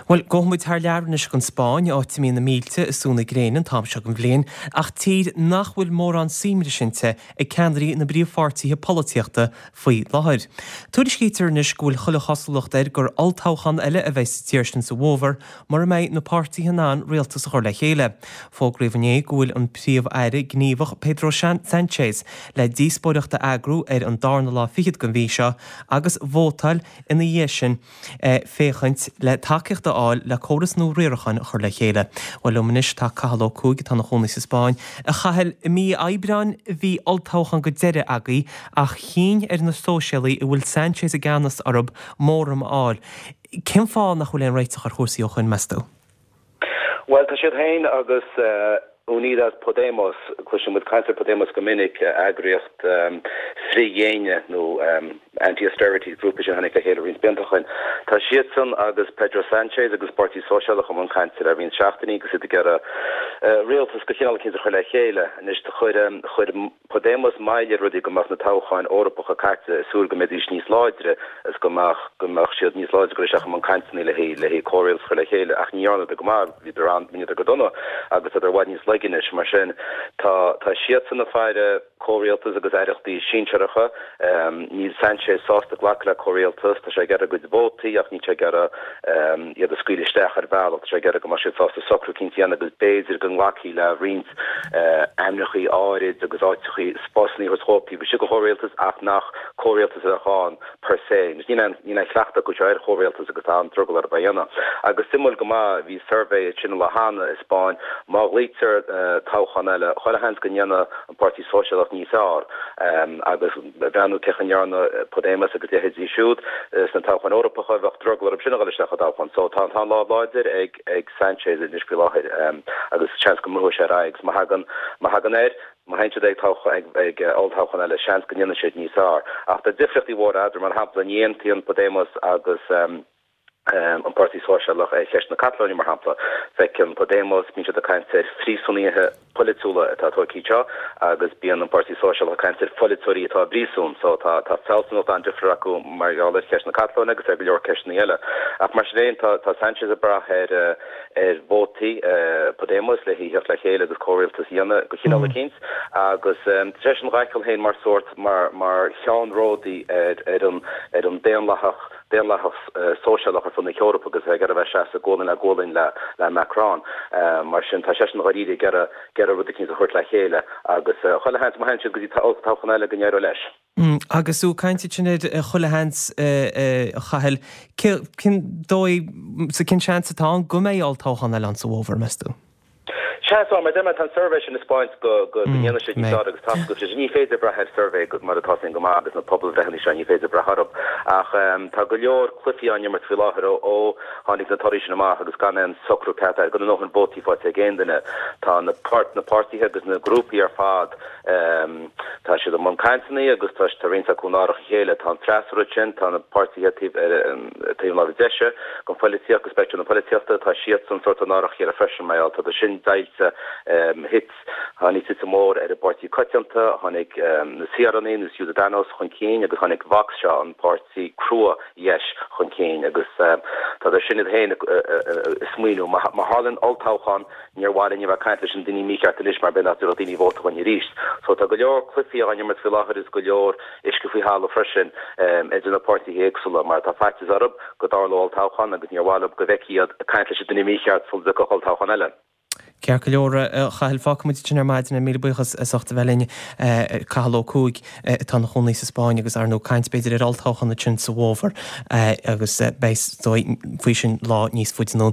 Bhuel, gabhfaidh muid thar lear anois go an Spáinn, áit a mbíonn na mílte ag sú na gréine an t-am seo den bhliain, ach tír nach bhfuil mórán suaimhnis inti ag ceannairí na bpríomhpháirtithe polaitíochta faoi láthair. Tuairiscítear anois go bhfuil chuile chosúlacht air gur olltoghchán eile a bheidh sa tír sin sa bhfómhar mura mbeidh na páirtithe in ann rialtas a chur le chéile. Fógraíodh inné go bhfuil an Príomh-Aire gníomhach Pedro Sanchez le díospóireacht a eagrú ar an darna lá fichead den mhí seo agus vótáil ina dhiaidh sin féachaint le tacaíocht a fháil le córas nua riaracháin a chur le chéile. Bhuel, liom anois tá Cathal Ó Cuaig atá ina chónaí sa Spáinn. A Chathail, i mí Aibreáin a bhí olltoghchán go deireadh agaibh ach chinn ar na Sóisialaigh a bhfuil Sanchez i gceannas orthu móramh a fháil. Cén fáth nach bhfuil aon réiteach ar chúrsaí ó shoin, meas tú? Bhuel, tá siad féin agus Unidas Podemos, cloiseann muid caint ar Podemos go minic, eagraíocht frith-dhéine nó anti-austerity, grúpa sin a tháinig le chéile roinnt blianta ó shoin. Tá siadsan agus Pedro Sanchez agus Páirtí Sóisialach i mbun cainte le roinnt seachtainí agus iad ag iarraidh rialtas de chineál eicínt a chur le chéile. Anois, chuir, chuir. Podemos moill ar rudaí go mbeadh na toghcháin Eorpacha caite ag súil go mbeidís níos láidre is go mbeadh go mbeadh siad níos láidre dul isteach i mbun cainteanna le haghaidh le haghaidh comhrialtas a chur le chéile ach ní dhearnadar go maith, bhíodar an, bhíodar go dona agus tádar i bhfad níos laige anois. Mar sin tá tá siadsan ag faire comhrialtas agus aireachtaí sinsearacha. Níl Sanchez sásta glacadh le comhrialtas, tá sé ag iarraidh a gcuid vótaí ach níl sé ag iarraidh iad a scaoileadh isteach ar bhealach, tá sé ag iarraidh go mbeadh siad sásta socrú eicínt a dhéanamh agus b'fhéidir go nglacfaí le roinnt ainmneachaí áirid agus áiteachaí, spásanna a thabhairt dhóibh taobh istigh de chomhrialtas ach nach comhrialtas a bheadh ann per se. Níl aon níl aon chleachtadh acu seo ar chomhrialtas agus tá an-drogall orthu é a dhéanamh. Agus suimiúil go maith, bhí suirbhé ansin an lá cheana i Spáinn, má ghlaoitear toghchán eile, chuile sheans go ndéanfaidh an Páirtí Sóisialach níos fearr agus ag breathnú cén chaoi a ndearna Podemos agus leithéidí siúd sna toghcháin Eorpacha, bheadh drogall orthu sin a dhul isteach i dtoghchán. So tá an lámh láidir ag ag Sanchez anois faoi láthair agus seans go mbrúfaidh sé ar aghaidh agus má thagann má thagann air, má théann siad ag toghchán ag olltoghchán eile, seans go ndéanfaidh siad níos fearr. Ach tá difríochtaí mhóra eadarthu, mar shampla ní aontaíonn Podemos agus an Páirtí Sóisialach ar cheist na Catalóine, mar shampla. Feiceann Podemos, bíonn siad ag caint ar phríosúnaithe polaitiúla atá tógtha anseo agus bíonn an Páirtí Sóisialach ag caint ar pholaiteoirí atá i bpríosún. So tá tá fealsúnacht an-difriúil acu mar gheall ar cheist na Catalóine agus ar go leor ceisteanna eile. Ach mar sin féin, tá tá Sanchez ag brath ar ar vótaí Podemos le theacht le chéile agus comhrialtas a dhéanamh de chineál eicínt agus tá seisean dhá fheiceáil féin mar sórt mar mar cheannródaí ar ar an ar an daonlathach daonlathach sóisialach ar fud na hEorpa agus é ag iarraidh a bheith ag seasamh gualainn le gualainn le Macron. Mar sin, tá seisean dháiríre ag iarraidh ag iarraidh rud eicínt a thabhairt le chéile agus chuile sheans, má théann siad go dtí toghchán eile go n-éireoidh leis. Agus tú ag caint ansin ar chuile sheans, a Chathail, cén dóigh, cén seans atá ann go mbeidh olltoghchán eile ann sa bhfómhar, meas tú? Seans ann, mar deir mé, tá an suirbhé sin ag 'spáint go ndéanfaidh siad níos fearr agus tá agus ní féidir brath ar suirbhé mar atá sin go maith agus na pobalbhreitheanna seo, ní féidir brath orthu. Ach tá go leor cluichí á n-imirt faoi láthair ó tháinig na torthaí sin amach agus gan aon socrú ceart air, gan a ndóthain vótaí faighte ag aon duine. Tá na páirtithe agus na grúpaí ar fad, Tá siad i mbun cainteanna agus tá tá roinnt acu in árach a chéile. Tá an freasúra ansin, tá na páirtithe taobh ar taobh na láimhe deise den phoilitíocht, de speictream na polaitíochta, tá siadsan sórt in árach a chéile freisin mar gheall tá sin deighilte. Thit, tháinig titim mhór ar an bPáirtí Coitianta, tháinig na Saoránaigh nó Ciudadanos chun cinn agus tháinig Vox seo, an páirtí crua dheis chun cinn agus tá sin iad féin ag smaoineamh má tharlaíonn olltoghchán Níor mhaith linn a bheith ag caint leis an duine mícheart anois mar b'fhéidir nach dtabharfadh daoine vóta dhúinn arís. So tá go leor cluichí á n-imirt faoi láthair is go leor uisce faoi thalamh freisin idir na páirtithe éagsúla mar tá faitíos orthu go dtarlódh olltoghchán agus níor mhaith leo go bhfeicfí iad ag caint leis an duine mícheart sula dtiocfadh olltoghchán eile. Ceart go leor, a Chathail, fágfaidh muid ansin ar maidin é. Míle buíochas as ucht a bheith linn. Cathal Ó Cuaig atá ina chónaí sa Spáinn agus ar ndóigh caint b'fhéidir ar olltoghchán ansin sa bhfómhar agus beidh is dóigh faoi sin lá níos faide anonn.